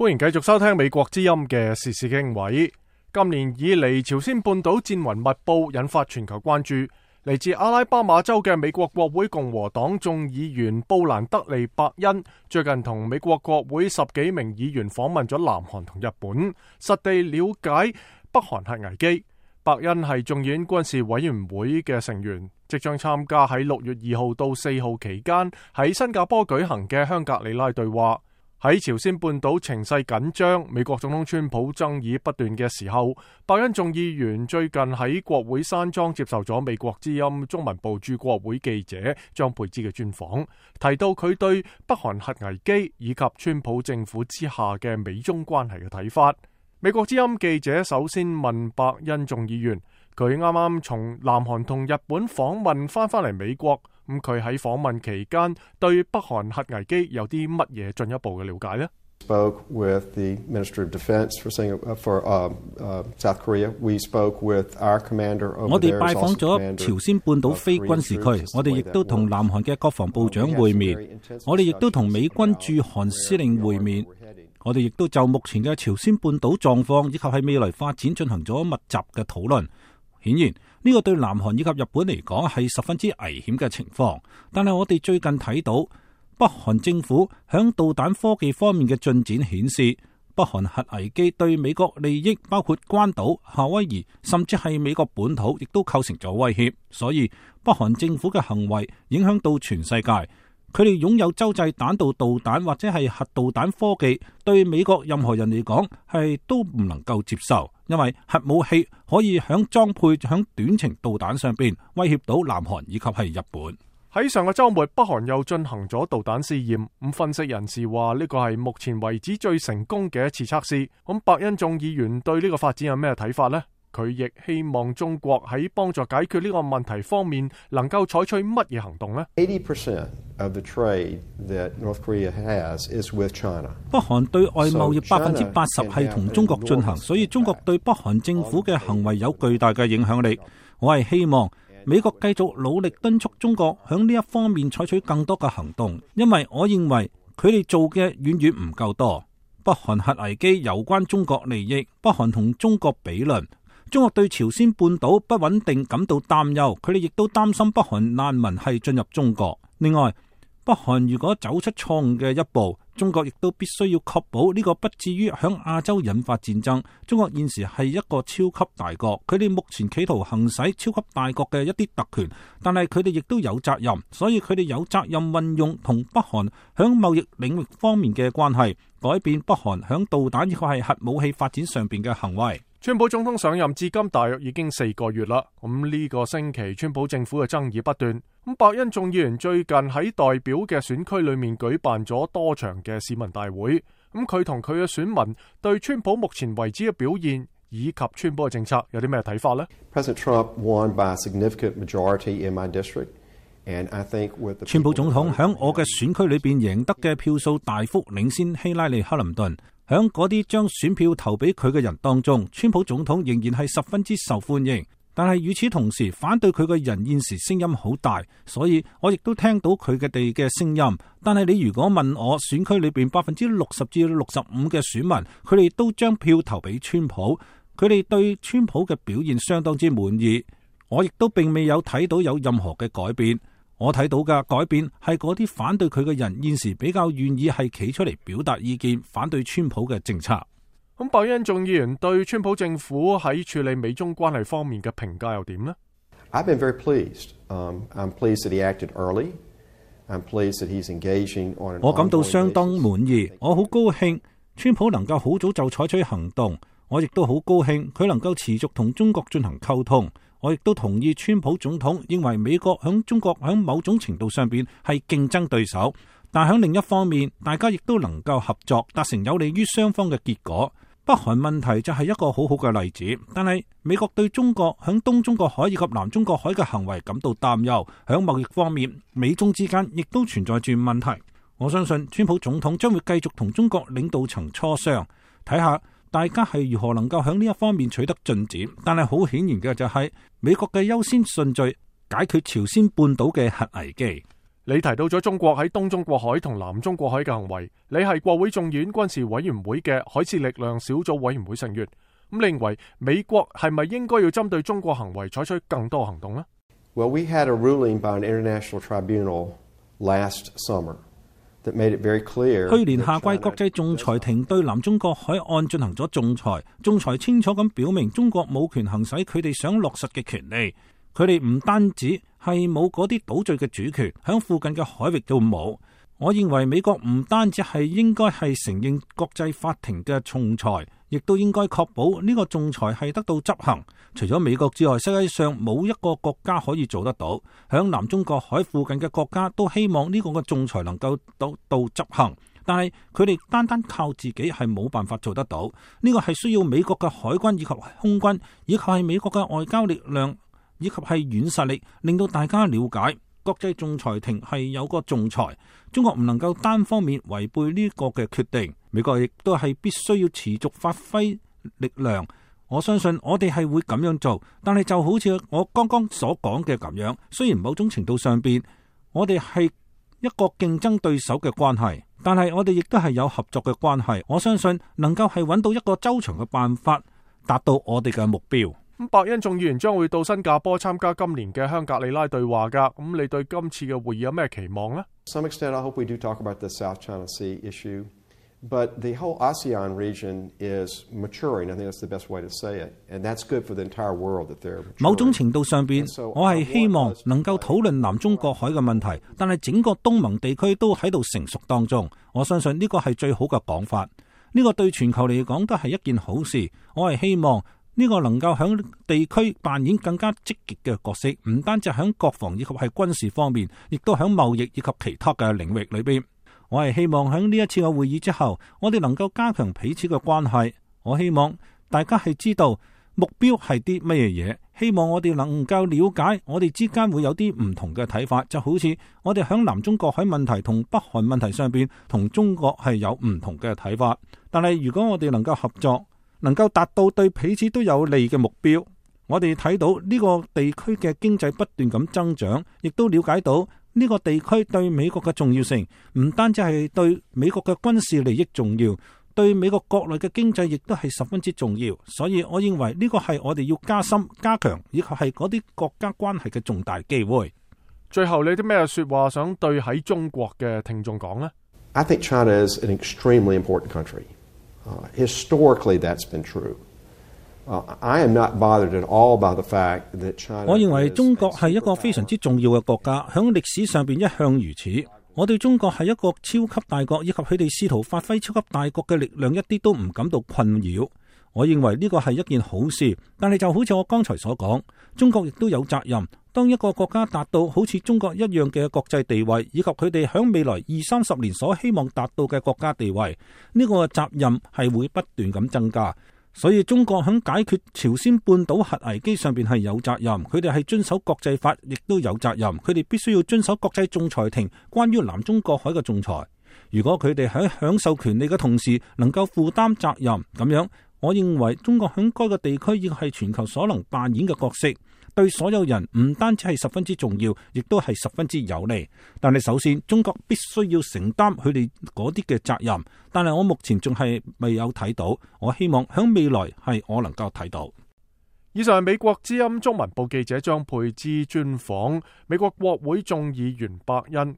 歡迎繼續收聽美國之音嘅時事經緯。今年以嚟，朝鮮半島戰雲密布，引發全球關注。嚟自阿拉巴馬州嘅美國國會共和黨眾議員布蘭德利·伯恩最近同美國國會10幾名議員訪問咗南韓同日本，實地了解北韓核危機。伯恩係眾議院軍事委員會嘅成員，即將參加喺6月2號到4號期間喺新加坡舉行嘅香格里拉對話。喺朝鮮半島情勢緊張、美國總統川普爭議不斷嘅時候，伯恩眾議員最近喺國會山莊接受咗美國之音中文部駐國會記者張佩芝嘅專訪，提到佢對北韓核危機以及川普政府之下嘅美中關係嘅睇法。美國之音記者首先問伯恩眾議員，佢啱啱從南韓同日本訪問翻嚟美國，咁佢喺訪問期間對北韓核危機有啲乜嘢進一步嘅了解呢？ Spoke with the Minister of Defense for South Korea. We spoke with our commander over there. 我哋拜訪咗朝鮮半島非軍事區，我哋亦都同南韓嘅國防部長會面，我哋亦都同美軍駐韓司令會面，我哋亦都就目前嘅朝鮮半島狀況以及係未來發展進行咗密集嘅討論。顯然呢個對南韓以及日本嚟講係十分之危險嘅情況，但係我哋最近睇到北韓政府響導彈科技方面嘅進展顯示，北韓核危機對美國利益，包括關島、夏威夷，甚至係美國本土，亦都構成咗威脅。所以北韓政府嘅行為影響到全世界，佢哋擁有洲際彈道導彈或者係核導彈科技，對美國任何人嚟講係都唔能夠接受，因為核武器可以響裝配響短程導彈上邊威脅到南韓以及係日本。喺上個週末，北韓又進行咗導彈試驗。咁分析人士話呢個係目前為止最成功嘅一次測試。咁伯恩眾議員對呢個發展有咩睇法呢？佢亦希望中國喺幫助解決呢個問題方面能夠採取乜嘢行動呢？ 80% of the trade that North Korea has is with China. 北韓對外貿易80%係同中國進行，所以中國對北韓政府嘅行為有巨大嘅影響力。我係希望美國繼續努力敦促中國響呢一方面採取更多嘅行動，因為我認為佢哋做嘅遠遠唔夠多。北韓核危機有關中國利益，北韓同中國比論，中國對朝鮮半島不穩定感到擔憂，佢哋亦都擔心北韓難民係進入中國。另外，北韓如果走出錯誤嘅一步，中國亦都必須要確保呢個不至於響亞洲引發戰爭。中國現時係一個超級大國，佢哋目前企圖行使超級大國嘅一啲特權，但係佢哋亦都有責任，所以佢哋有責任運用同北韓響貿易領域方面嘅關係，改變北韓響導彈以及係核武器發展上邊嘅行為。川普總統上任至今大約已經4個月啦。咁呢個星期，川普政府嘅爭議不斷。咁伯恩眾議員最近喺代表嘅選區裏面舉辦咗多場嘅市民大會。咁佢同佢嘅選民對川普目前為止嘅表現以及川普嘅政策有啲咩睇法呢？ President Trump won by a significant majority in my district, and I think with the 川普總統響我嘅選區裏邊贏得嘅票數大幅領先希拉里·克林頓。響嗰啲將選票投俾佢嘅人當中，川普總統仍然係十分之受歡迎。但係與此同時，反對佢嘅人現時聲音好大，所以我亦都聽到佢哋嘅聲音。但係你如果問我選區裏邊60%至65%嘅選民，佢哋都將票投俾川普，佢哋對川普嘅表現相當之滿意。我亦都並未有睇到有任何嘅改變。我睇到嘅改變係嗰啲反對佢嘅人現時比較願意係企出嚟表達意見，反對川普嘅政策。咁伯恩眾議員對川普政府喺處理美中關係方面嘅評價又點呢？ I've been very pleased. I'm pleased that he acted early. I'm pleased that he's engaging on an 我感到相當滿意，我好高興川普能夠好早就採取行動。我亦都好高興佢能夠持續同中國進行溝通。我亦都同意川普總統認為美國響中國響某種程度上邊係競爭對手，但響另一方面，大家亦都能夠合作，達成有利於雙方嘅結果。北韓問題就係一個好好嘅例子，但係美國對中國響東中國海以及南中國海嘅行為感到擔憂。響貿易方面，美中之間亦都存在住問題。我相信川普總統將會繼續同中國領導層磋商，睇下大家係如何能夠喺呢一方面取得進展。但係好顯然嘅就係美國嘅優先順序解決朝鮮半島嘅核危機。你提到咗中國喺東中國海同南中國海嘅行為，你係國會眾議院軍事委員會嘅海事力量小組委員會成員，咁你認為美國係咪應該要針對中國行為採取更多行動呢？ Well, we had a ruling by an international tribunal last summer that made it very clear. 去年夏季國際仲裁庭對南中國海岸進行咗仲裁，仲裁清楚咁表明中國冇權行使佢哋想落實嘅權利。佢哋唔單止係冇嗰啲島嶼嘅主權，響附近嘅海域都冇。我認為美國唔單止係應該係承認國際法庭嘅仲裁，亦都應該確保呢個仲裁係得到執行。除咗美國之外，世界上冇一個國家可以做得到。響南中國海附近嘅國家都希望呢個嘅仲裁能夠到執行，但係佢哋單單靠自己係冇辦法做得到。呢個係需要美國嘅海軍以及空軍，以及係美國嘅外交力量，以及係軟實力，令到大家了解國際仲裁庭係有個仲裁，中國唔能夠單方面違背呢個嘅決定。美國亦都係必須要持續發揮力量。我相信我哋係會咁樣做，但係就好似我剛剛所講嘅咁樣，雖然某種程度上邊我哋係一個競爭對手嘅關係，但係我哋亦都係有合作嘅關係。我相信能夠係揾到一個周詳嘅辦法，達到我哋嘅目標。白恩眾議員將會到新加坡參加今年嘅香格里拉對話㗎，咁你對今次嘅會議有咩期望呢？ To some extent, I hope we do talk about the South China Sea issue, but the whole ASEAN region is maturing. I think that's the best way to say it, and that's good for the entire world that they're maturing. 某種程度上邊，我係希望能夠討論南中國海嘅問題，但係整個東盟地區都喺度成熟當中。我相信呢個係最好嘅講法，呢個對全球嚟講都係一件好事。我係希望呢個能夠響地區扮演更加積極嘅角色，唔單止響國防以及係軍事方面，亦都響貿易以及其他嘅領域裏邊。我係希望響呢一次嘅會議之後，我哋能夠加強彼此嘅關係。我希望大家係知道目標係啲乜嘢，希望我哋能夠了解我哋之間會有啲唔同嘅睇法，就好似我哋響南中國海問題同北韓問題上邊同中國係有唔同嘅睇法，但係如果我哋能夠合作，能夠達到對彼此都有利嘅目標，我哋睇到呢個地區嘅經濟不斷咁增長，亦都了解到呢個地區對美國嘅重要性，唔單止係對美國嘅軍事利益重要，對美國國內嘅經濟亦都係十分之重要。所以我認為呢個係我哋要加深加強，以及係嗰啲國家關係嘅重大機會。最後你啲咩說話想對喺中國嘅聽眾講呢？ I think China is an extremely important country. Historically, that's been true. I am not bothered at all by the fact that China. 我認為中國係一個非常之重要嘅國家，響歷史上邊一向如此。我對中國係一個超級大國，以及佢哋試圖發揮超級大國嘅力量，一啲都唔感到困擾。我認為呢個係一件好事，但係就好似我剛才所講，中國亦都有責任。當一個國家達到好似中國一樣嘅國際地位，以及佢哋響未來20-30年所希望達到嘅國家地位，呢個責任係會不斷咁增加。所以中國響解決朝鮮半島核危機上邊係有責任，佢哋係遵守國際法，亦都有責任。佢哋必須要遵守國際仲裁庭關於南中國海嘅仲裁。如果佢哋喺享受權利嘅同時能夠負擔責任，咁樣我認為中國響該個地區亦係全球所能扮演嘅角色，對所有人唔單止係十分之重要，亦都係十分之有利。但係首先中國必須要承擔佢哋嗰啲嘅責任，但係我目前仲係未有睇到，我希望響未來係我能夠睇到。以上係美國之音中文部記者張佩芝專訪美國國會眾議員伯恩。